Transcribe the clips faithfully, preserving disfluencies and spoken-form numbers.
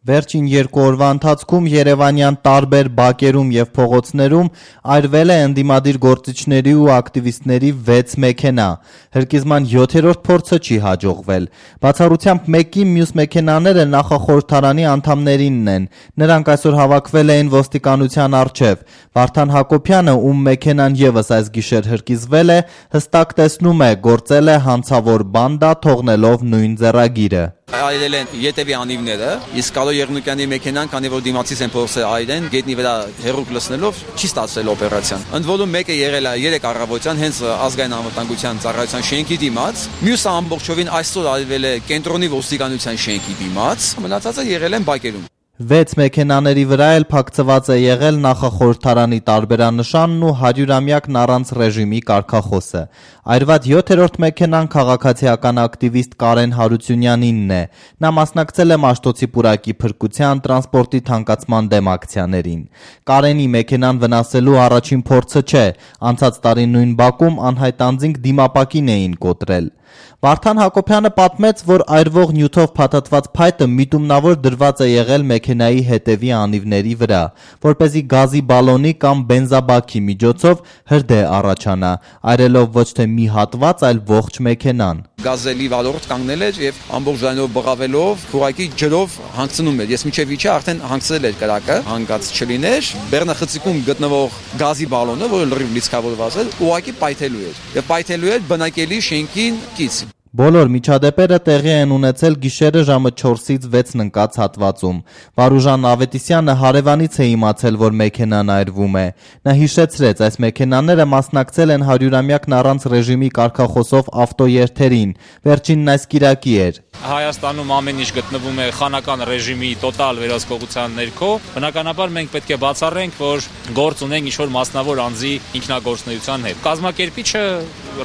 Վերջին երկու օրվա ընթացքում Երևանյան տարբեր բակերում եւ փողոցներում այրվել է ընդդիմադիր գործիչների ու ակտիվիստների վեց մեքենա։ Հրկիզման յոթերորդ փորձը չի հաջողվել։ Բացառությամբ մեկի մյուս մեքենաները նախախորհրդարանի անդամներինն են։ Նրանք այսօր հավաքվել էին ոստիկանության առջև։ Վարդան Հակոբյանը, ում մեքենան եւս այս գիշեր հրկիզվել է, հստակ տեսնում է, գործել է հանցավոր բանդա, թողնելով նույն ձեռագիրը։ Այրել են ետևի անիվները, իսկ Կարո Եղնուկյանի մեքենան, քանի որ դիմացից են փորձել այրեն, գետնի վրա հերուկ լցնելով չի ստացվել օպերացիան։ Ընդ որում մեկը եղել է երեք առավոտյան հենց ազգային անվտանգության ծառայության շենքի դիմաց, մյուսը ամբողջովին այսօր այրվել է կենտրոնի ոստիկանության շենքի դիմաց, մնացածը եղել են բակերում։ Վեց մեքենաների վրա էլ փակցված է եղել նախախորհրդարանի տարբերանշանն ու հարյուրամյակն առանց ռեժիմի կարգախոսը։ Այրված յոթերորդ մեքենան քաղաքացիական ակտիվիստ Կարեն Հարությունյանինն է։ Նա մասնակցել է Մաշտոցի պուրակի փրկության, տրանսպորտի թանկացման դեմ ակցիաներին։ Կարենի մեքենան վնասելու առաջին փորձը չէ։ Անցած տարի նույն բակում անհայտ անձինք դիմապակին էին կոտրել։ Վարդան Հակոբյանը պատմեց, որ այրվող նյութով փաթաթված փայտը միտումնավոր դրված է եղել մեքենայի հետևի անիվների վրա, որպեսզի գազի բալոնի կամ բենզաբաքի միջոցով հրդեհ առաջանա, այրելով ոչ թե մի հատված, այլ ողջ մեքենան։ Գազելի վալորդ կանգնել էր եւ ամբողջ ձայնով բղավելով փուրակի ջրով հանգցնում էր։ Ես միջև իջա արդեն հանգցրել էր կրակը, հանգած չլիներ, բեռնախցիկում գտնվող գազի բալոնը, որը լրիվ լիցքավորված էր, ուղղակի պայթելու էր։ Եվ պայթելու էր բնակելի շենքին կից։ Բոլոր միջադեպերը տեղի են ունեցել գիշերը ժամը չորսից վեցն ընկած հատվածում։ Վարուժան Ավետիսյանը հարևանից է իմացել, որ մեքենան այրվում է։ Նա հիշեցրեց, այս մեքենաները մասնակցել են հարյուրամյակն առանց ռեժիմի կարգախոսով ավտոերթերին։ Վերջինն այս կիրակի էր։ Հայաստանում ամեն ինչ գտնվում է խանական ռեժիմի տոտալ վերահսկողության ներքո։ Բնականաբար մենք պետք է բացառենք, որ գործ ունենք ինչ-որ մասնավոր անձի ինքնագործունեության հետ։ Կազմակերպիչը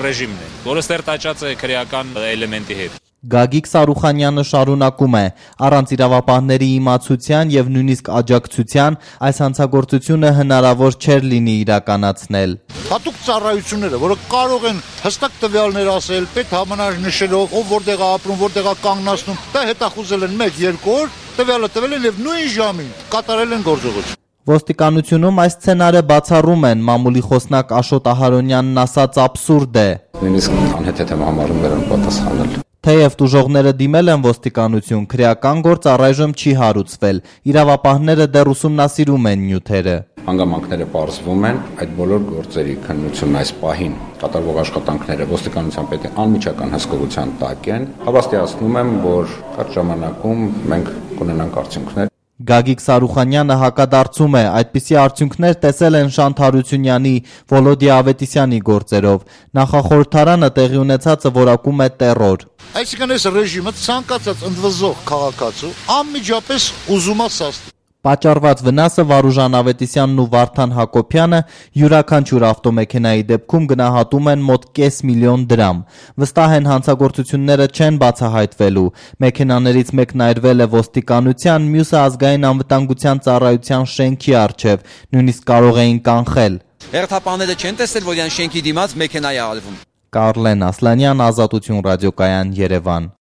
ռեժիմն է, որը ստերտաճած է քրեական էլեմենտի հետ։ Գագիկ Սարուխանյանը շարունակում է. առանց իրավապահների իմացության եւ նույնիսկ աջակցության այս հանցագործությունը հնարավոր չէր լինի իրականացնել։ Հատուկ ծառայությունները, որոնք կարող են հստակ տվյալներ ասել, պետ համանար նշելով, ով որտեղ է ապրում, որտեղ է կանգնացնում, դա հետախուզել են մեկ երկու օր, տվյալը տվել են եւ նույն ժամին կատարել են գործողություն։ Ոստիկանությունում այս սցենարը բացառում են, մամուլի խոսնակ Աշոտ Ահարոնյանն ասաց աբսուրդ է։ Նույնիսկ անհեթեթ եմ համարում նրան պատասխանել։ Թեև տուժողները դիմել են ոստիկանություն, քրեական գործ առայժմ չի հարուցվել։ Իրավապահները դեռ ուսումնասիրում են նյութերը։ Հանգամանքները պարզվում են, այդ բոլոր գործերի քննությունն այս պահին կատարվող աշխատանքները ոստիկանության պետի անմիջական հսկողության տակ են։ Հավաստիացնում եմ, որ կարճ ժամանակում մենք կունենանք արդյունքներ։ Գագիկ Սարուխանյանը հակադարձում է, այդպիսի արդյունքներ տեսել են Շանթ Հարությունյանի, Վոլոդիա Ավետիսյանի գործերով։ Նախախորհրդարանը տեղի ունեցածը որակում է տեռոր։ Այսինքն այս ռեժիմը ցանկացած ընդվզող քաղաքացու անմիջապես ուզում է սաստի։ Պատճառված վնասը Վարուժան Ավետիսյանն ու Վարդան Հակոբյանը յուրաքանչյուր ավտոմեքենայի դեպքում գնահատում են մոտ կես միլիոն դրամ։ Վստահ են հանցագործությունները չեն բացահայտվելու։ Մեքենաներից մեկն այրվել է ոստիկանության, մյուսը ազգային անվտանգության ծառայության շենքի առջև, նույնիսկ կարող էին կանխել։ Հերթապանները չեն տեսել, որ յան շենքի դիմաց մեքենա է արվում։ Կարլեն Ասլանյան, Ազատություն ռադիոկայան, Երևան։